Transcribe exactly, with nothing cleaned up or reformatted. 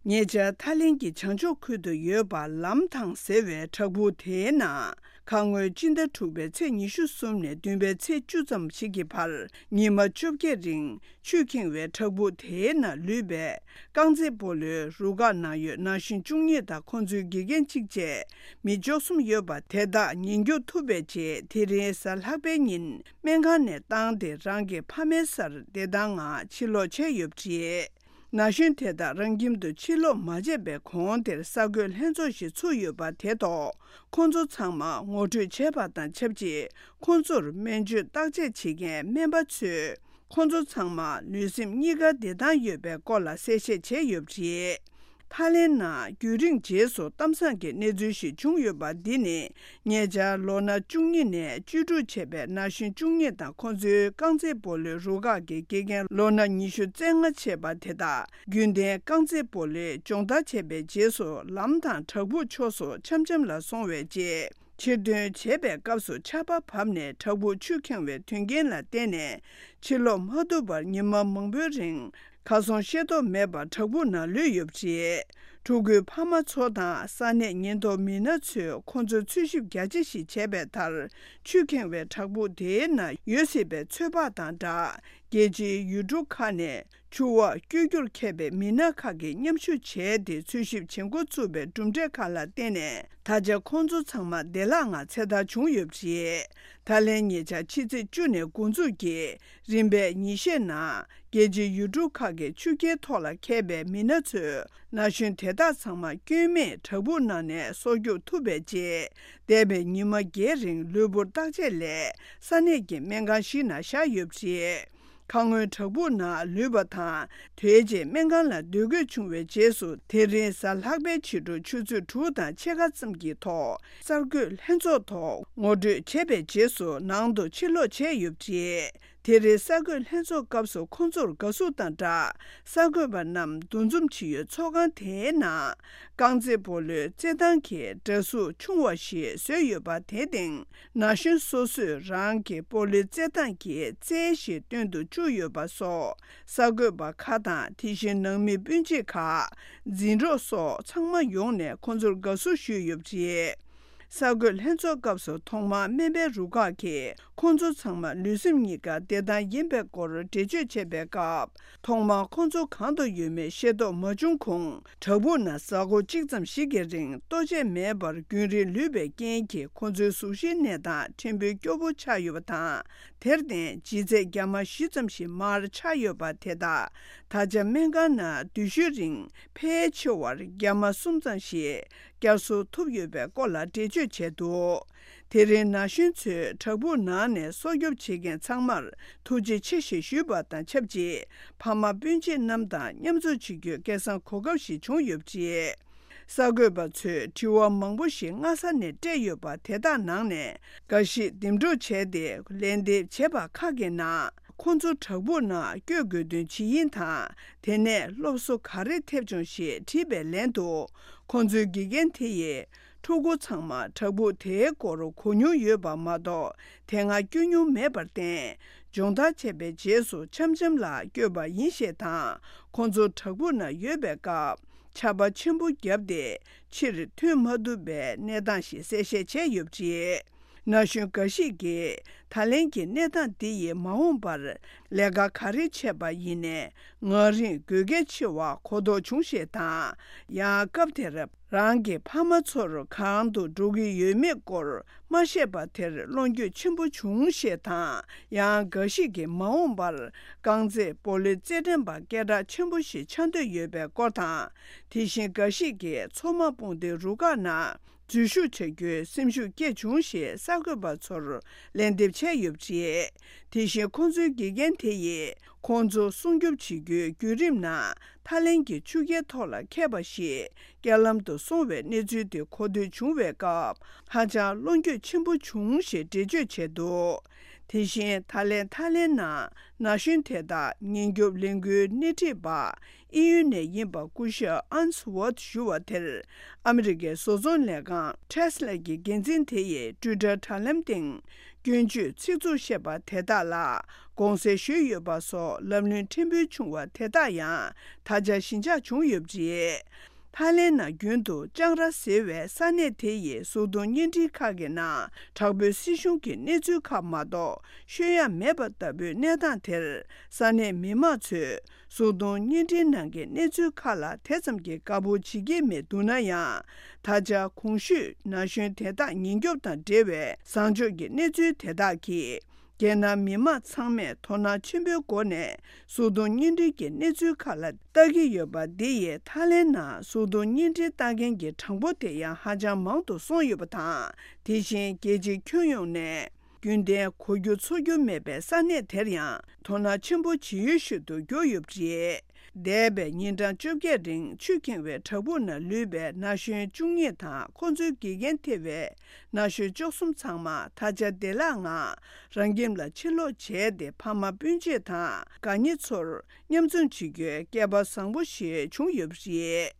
ཉེ་ཆར་ཐའི་ལེན་གྱི་བྱང་ཕྱོགས་ཁུལ་དུ་ཡོད་པ་ལམ་ཐང་ཟེར་བའི་བྲག་ཕུག་དེའི་ནང་ཁ་སྔོན་སྤྱི་ཟླ་དྲུག་པའི་ཚེས་ཉི་ཤུ་གསུམ་ནས་བདུན་པའི་ཚེས་བཅུ་ཙམ་ཞིག་གི་བར་ཉི་མ་བཅོ་བརྒྱད་རིང་ཆུས་ཁེངས་པའི་བྲག་ཕུག་དེའི་ནང་ལུས་པའི་རྐང་རྩེད་སྤོ་ལོའི་རུ་ཁག་ནང་ཡོད་ན་གཞོན་བཅུ་གཉིས་དང་ཁོང་ཚོའི་དགེ་རྒན་གཅིག་བཅས་མི་བཅུ་གསུམ་ཡོད་པ་དེ་དག་ཉེན་སྐྱོབ་ཐུབ་པའི་རྗེས་དེ་རིང་གཟའ་ལྷག་པའི་ཉིན་སྨན་ཁང་ནས་བཏང་སྟེ་རང་གི་ཕ་མའི་སར་བདེ་ཐང་ངང་ཕྱིར་ལོག་བྱས་ཡོད་པ་རེད། ན་གཞོན་དེ་དག་རང་ཁྱིམ་དུ་ཕྱིར་ལོག་མ་བྱས་པའི་གོང་དེར་གསར་འགོད་ལྷན་ཚོགས་ཤིག་ཚུགས་ཡོད་པ་དེ་ཐོག་ཁོང་ཚོ་ཚང་མ་ངོ་སྤྲོད་བྱས་པ་དང་ཆབས་ཅིག་ཁོང་ཚོར་སྨན་བཅོས་བརྟག་དཔྱད་བྱེད་མཁན་སྨན་པ་ཚོས་ཁོང་ཚོ་ཚང་མ་ལུས་སེམས་གཉིས་ཀ་བདེ་ཐང་ཡོད་པའི་སྐོར་ལ་གསལ་བཤད་བྱས་ཡོད་པ་རེད། ཐའི་ལེན་ནང་རྒྱུན་རིང་རྗེས་སུ་གཏམ་བཟང་གི་གནས་ཚུལ་ཞིག་བྱུང་ཡོད་པ་འདི་ནི། ཉེ་ཆར་ལོ་ན་བཅུ་གཉིས་ནས་བཅུ་དྲུག་བྱས་པའི་ན་གཞོན་བཅུ་གཉིས་དང་ཁོང་ཚོའི་རྐང་རྩེད་སྤོ་ལོའི་རུ་ཁག་གི་དགེ་རྒན་ལོ་ན་ཉི་ཤུ་རྩ་ལྔ་བྱས་པ་དེ་དག་རྒྱུན་ལྡན་རྐང་རྩེད་སྤོ་ལོའི་སྦྱོང་བརྡར་བྱས་པའི་རྗེས་སུ་ལམ་དང་བྲག་ཕུག་ཕྱོགས་སུ་འཆམ་འཆམ་ལ་སོང་བའི་རྗེས། ཕྱིར་ཐོན་བྱས་པའི་སྐབས་སུ་ཆར་པ་བབས་ནས་བྲག་ཕུག་ཆུས་ཁེངས་པའི་དོན་རྐྱེན་ལ་བརྟེན་ནས་ཕྱིར་ལོག་མ་ཐུབ་པར་ཉི་མ་མང་པོའི་རིང་ཁ་སོང་ཤེས་རྟོགས་མེད་པར་བྲག་ཕུག་ནང་ལུས་ཡོད་པ་རེད། ཕྲུ་གུའི་ཕ་མ་ཚོ་དང་ས་གནས་ཉེན་རྟོག་མི་སྣ་ཚོས་ཁོང་ཚོར་འཚོལ་ཞིབ་རྒྱ་ཆེ་ཞིག་བྱས་པའི་མཐར། ཆུས་ཁེངས་པའི་བྲག་ཕུག་དེའི་ནང་ཡོད་སྲིད་པའི་ཚོད་དཔག་དང་སྦྲགས། རྒྱལ་སྤྱིའི་ཡུལ་གྲུ་ཁག་ནས་ཆུ་འོག་བསྐྱོད་རྒྱུར་མཁས་པའི་མི་སྣ་ཁག་གིས་མཉམ་ཞུགས་བྱས་ཏེ་འཚོལ་ཞིབ་བྱེད་འགོ་བཙུགས་པའི་གྲུབ་འབྲས་ཁག་ལ་བརྟེན་ནས། ད་ཆ་ཁོང་ཚོ་ཚང་མ་བདེ་བླག་ངང་ཚེ་ཐར་བྱུང་ཡོད་པ་རེད། ད་ལན་ཉེ་ཆར་ཕྱི་ཚེས་བཅུ་ནས་འགོ་འཛུགས་ཀྱིས་རིམ་པས་ཉིན་ཤས་ནང་རྒྱལ་སྤྱིའི་ཡུལ་གྲུ་ཁག་གི་ཆུ་རྐྱལ་ཐོག་ལ་མཁས་པའི་མི་སྣ་ཚོས་ན་གཞོན་དེ་དག་ཚང་མ་སྐྱོན་མེད་བྲག་ཕུག་ནང་ནས་སྲོག་སྐྱོབ་ཐུབ་པའི་རྗེས། འདས་པའི་ཉི་མ་བརྒྱད་རིང་ལུས་པོར་བརྟག་དཔྱད་ལས་ས་གནས་ཀྱི་སྨན་ཁང་ཞིག་ནང་བཞག་ཡོད་པ་རེད། ཁ་སྔོན་བྲག་ཕུག་ནང་ལུས་པ་དང་དེའི་རྗེས་སྨན་ཁང་ལ་སྡོད་དགོས་བྱུང་བའི་རྗེས་སུ། དེ་རིང་གཟའ་ལྷག་པའི་ཕྱི་དྲོ་ཆུ་ཚོད་དྲུག་དང་ཕྱེད་ཀ་ཙམ་གྱི་ཐོག་གསར་འགོད་ལྷན་ཚོགས་ཐོག་ངོ་སྤྲོད་བྱས་པའི་རྗེས་སུ་ནང་དུ་ཕྱིར་ལོག་བྱས་ཡོད་པ་རེད། དེ་རིང་གསར་འགོད་ལྷན་ཚོགས་སྐབས་སུ་ཁོང་ཚོར་དགའ་བསུ་དང་སྦྲགས། གསར་འགོད་པ་རྣམས་འདུ་འཛོམས་བྱེད་ཡུལ་ཚོགས་ཁང་དེའི་ནང་རྐང་རྩེད་སྤོ་ལོའི་རྩེད་ཐང་གི་འདྲ་གཟུགས་ཆུང་བ་ཞིག་བཟོས་ཡོད་པ་དེ་སྟེང་ན་གཞོན་སོ་སོས་རང་གི་སྤོ་ལོའི་རྩེད་ཐང་གི་རྩལ་ཞིག་སྟོན་དུ་བཅུག་ཡོད་པ་སོགས། གསར་འགོད་པ་ཁག་དང་དེ་བཞིན་ནང་མི་སྤུན་མཆེད་ཁག་འཛིན་གྲོགས་སོགས་ཚང་མ་ཡོང་ནས་ཁོང་ཚོར་དགའ་བསུ་ཞུས་ཡོད་པ་རེད། གསར་འགོད་ལྷན་ཚོགས་སྐབས་སུ་ཐོག་མར་སྨན་པའི་རུ་ཁག་གིས་ཁོང་ཚོ་ཚང་མ་ལུས་སེམས་གཉིས་ཀ་བདེ་ཐང་ཡིན་པའི་སྐོར་འགྲེལ་བརྗོད་བྱས་པའི་སྐབས། ཐོག་མར་ཁོང་ཚོ་གང་དུ་ཡོད་མེད་ཤེས་རྟོགས་མ་བྱུང་གོང་། བྲག་ཕུག་ནང་གཟའ་འཁོར་གཅིག་ཙམ་ཞིག་གི་རིང་ལྟོ་ཆས་མེད་པར་རྒྱུན་རིང་ལུས་པའི་རྐྱེན་གྱིས་ཁོང་ཚོའི་གཟུགས་གཞིའི་གནས་སྟངས་ཕྲན་བུ་སྐྱོ་པོ་ཆགས་ཡོད་པ་དང་། དེར་བརྟེན་ལྗིད་ཚད་རྒྱ་མ་བཞི་ཙམ་ཞིག་མར་ཆག་ཡོད་པ་དེ་དག་ད་ཆ་སྨན་ཁང་ནང་སྡོད་ཤུལ་རིང་ཕལ་ཆེ་བར་རྒྱ་མ་གསུམ་ཙམ་ཞིག་བསྐྱར་གསོ་ཐུབ་ཡོད་པའི་སྐོར་ལ་འགྲེལ་བརྗོད་བྱས་འདུག་དེ་རིང་ན་གཞོན་ཚོས་བྲག་ཕུག་ནང་ནས་སྲོག་སྐྱོབ་བྱེད་མཁན་ཚང་མར་ཐུགས་རྗེ་ཆེ་ཞེས་ཞུས་པ་དང་ཆབས་ཅིག་ཕ་མ་སྤུན་མཆེད་རྣམས་དང་མཉམ་འཛོམས་བྱེད་རྒྱུའི་སྐལ་བཟང་གོ་སྐབས་ཤིག་བྱུང་ཡོད་པ་རེད། གསར་འགོད་པ་ཚོས་དྲི་བ་མང་པོ་ཞིག་སྔ་ས་ནས་སྤྲད་ཡོད་པ་དེ་དག་ནང་ནས་འགའ་ཞིག་འདེམས་སྒྲུག་བྱས་ཏེ་ལན་འདེབས་བྱས་པ་ཁག་གི་ནང་། ཁོང་ཚོ་བྲག་ཕུག་ནང་བསྐྱོད་དགོས་དོན་ཇི་ཡིན་དང་། དེ་ནས་སློབ་གསོ་ག་རེ་ཐེབས་བྱུང་ཞེས་དྲིས་པའི་ལན་དུ། ཁོང་ཚོའི་དགེ་རྒན་དེ་ཡིས། ཕྲུ་གུ་ཚང་མ་བྲག་ཕུག་དེའི་སྐོར་གོ་མྱོང་ཡོད་པ་མ་གཏོགས། དེ་སྔ་བསྐྱོད་མྱོང་མེད་པར་བརྟེན། སྦྱོང་བརྡར་བྱས་པའི་རྗེས་སུ་འཆམ་འཆམ་ལ་བསྐྱོད་པ་ཡིན་ཞེས་དང་། ཁོང་ཚོ་བྲག་ཕུག་ན་ཡོད་པའི་སྐབས། ཆར་པ་ཆེན་པོ་བརྒྱབ་སྟེ། ཕྱིར་ཐོན་མ་ཐུབ་པའི་གནས་སྟངས་ཤིག་གསལ་བཤད་བྱས་ཡོད་པ་རེད། ན་གཞོན་འགའ་ཞིག་གིས། ད་ལན་གྱི་གནས་སྟངས་འདི་ཡིས་མ་འོངས་པར། ལས་ཀ་ག་རེ་བྱས་པ་ཡིན་ནའི། ང་རང་དགོས་གལ་ཆེ་བ་གོ་རྟོགས་བྱུང་ཞེས་དང་། ཡང་སྐབས་དེར། རང་གི་ཕ་མ་ཚོར་གང་དུ་འགྲོ་གི་ཡོད་མེད་སྐོར་མ་བཤད་པ་དེར་བློ་འགྱོད་ཆེན་པོ་བྱུང་ཞེས་དང་། ཡང་འགའ་ཞིག་གིས་མ་འོངས་པར་རྐང་རྩེད་སྤོ་ལོའི་རྩེད་འགྲན་པ་སྐད་གྲགས་ཆེན་པོ་ཞིག་ཆགས་འདོད་ཡོད་པའི་སྐོར་དང་། དེ་བཞིན་འགའ་ཞིག་གིས་མཚོ་དམག་དཔུང་སྡེའི་རུ་ཁག་ནང་འཛུལ་ཞུགས་བྱ་རྒྱུའི་སེམས་ཤུགས་སྐྱེས་བྱུང་ཞེས་གསར་འགོད་པ་ཚོར་ལན་འདེབས་བྱས་ཡོད་པ་རེད། དེ་བཞིན་ཁོང་ཚོའི་དགེ་རྒན་དེ་ཡིས། ཁོང་ཚོ་སྲུང་སྐྱོབ་བྱེད་རྒྱུའི་བརྒྱུད་རིམ་ནང་། ཐའི་ལེན་གྱི་ཆུ་རྐྱལ་ཐོག་ལ་འཁེལ་བ་ཞིག་རྐྱེན་ལམ་དུ་སོང་བའི་གནས་ཚུལ་དེ་གོ་ཐོས་བྱུང་བའི་སྐབས། ཧ་ཅང་བློ་འགྱོད་ཆེན་པོ་བྱུང་ཞེས་འགྲེལ་བརྗོད་བྱས་འདུག་དེ་བཞིན་ད་ལན་ཐའི་ལེན་ནང་ན་གཞོན་དེ་དག་ཉེན་སྐྱོབ་ལས་འགུལ་སྣེ་ཁྲིད་པ་དབྱིན་ཡུལ་ནས་ཡིན་པ་སྐུ་ཞབས་ཨན་སི་ཝར་ཐི་ཞུ་བ་དེར། ཨ་མི་རི་ཀའི་བཟོ་ཚོང་ལས་ཁང་ཊེ་སི་ལ་གི་འགན་འཛིན་དེ་ཡིས་ཊུའི་ཊར་དྲ་ལམ་སྟེང་། སྐྱོན་བརྗོད་ཚིག་རྩུབ་བཤད་པ་དེ་དག་ལ་དགོངས་སེལ་ཞུས་ཡོད་པ་སོགས་ལབ་གླེང་ཕྲན་བུ་བྱུང་བ་དེ་དག་ཡང་ད་ཆ་ཞི་འཇགས་བྱུང་ཡོད་པ་རེད། ཐའི་ལེན་ནང་རྒྱུན་དུ་ལྕང་ར་ཟེར་བའི་ས་གནས་དེ་ཡི་གཟུགས་མཐོང་བརྙན་འཕྲིན་ཁག་གི་ནང་དྲག་པོའི་སྲིད་གཞུང་གི་གནས་ཚུལ་ཁག་མ་གཏོགས་ཤོད་ཡ་མེད་པ་ལྟ་བུའི་གནས་སྟངས་དེར། ས་གནས་མི་མང་ཚོས་གཟུགས་མཐོང་བརྙན་འཕྲིན་ནང་གི་གནས་ཚུལ་ཁག་ལ་དེ་ཙམ་གྱི་དགའ་པོ་བྱེད་ཀྱི་མེད་འདུག་ན་ཡང་། ད་ཆ་གོང་ཞུས་ན་གཞོན་དེ་དག་ཉེན་སྐྱོབ་དང་འབྲེལ་བའི་བཟང་ཕྱོགས་ཀྱི་གནས་ཚུལ་དེ་དག་གིས། རྒྱལ་ནང་མི་མང་ཚང་མས་དོ་སྣང་ཆེན་པོའི་སྒོ་ནས་གཟུགས་མཐོང་བརྙན་འཕྲིན་གྱི་གནས་ཚུལ་ཁག་ལ་ལྟ་གི་ཡོད་པ་འདི་ཡིས་ཐའི་ལེན་ནང་གཟུགས་མཐོང་བརྙན་འཕྲིན་ལྟ་མཁན་གྱི་གྲངས་འབོར་དེ་ཡང་ཧ་ཅང་མང་དུ་སོང་ཡོད་པ་དང་། དེ་བཞིན་རྒྱལ་སྤྱིའི་ཁྱོན་ཡོངས་ནས་རྒྱུན་ལྡན་གོ་རྒྱུ་ཚོར་རྒྱུ་མེད་པའི་ས་གནས་དེར་ཡང་དོ་སྣང་ཆེན་པོ་ཇི་ཡོད་ཤོས་སུ་གྱུར་ཡོད་པ་རེད། འདས་པའི་ཉིན་གྲངས་བཅོ་བརྒྱད་རིང་ཆུ་ཁེངས་པའི་བྲག་ཕུག་ན་ལུས་པའི་ན་གཞོན་བཅུ་གཉིས་དང་ཁོ་ཚོའི་དགེ་རྒན་ཐེ་བའི་ན་གཞོན་བཅུ་གསུམ་ཚང་མ་ད་ཆ་བདེ་བླག་ངང་རང་ཁྱིམ་ལ་ཕྱིར་ལོག་བྱས་ཏེ་ཕ་མ་སྤུན་མཆེད་དང་དགའ་ཉེ་ཚོར་མཉམ་འཛོམས་བྱེད་རྒྱུའི་སྐལ་པ་བཟང་པོ་ཞིག་བྱུང་ཡོད་པ་རེད།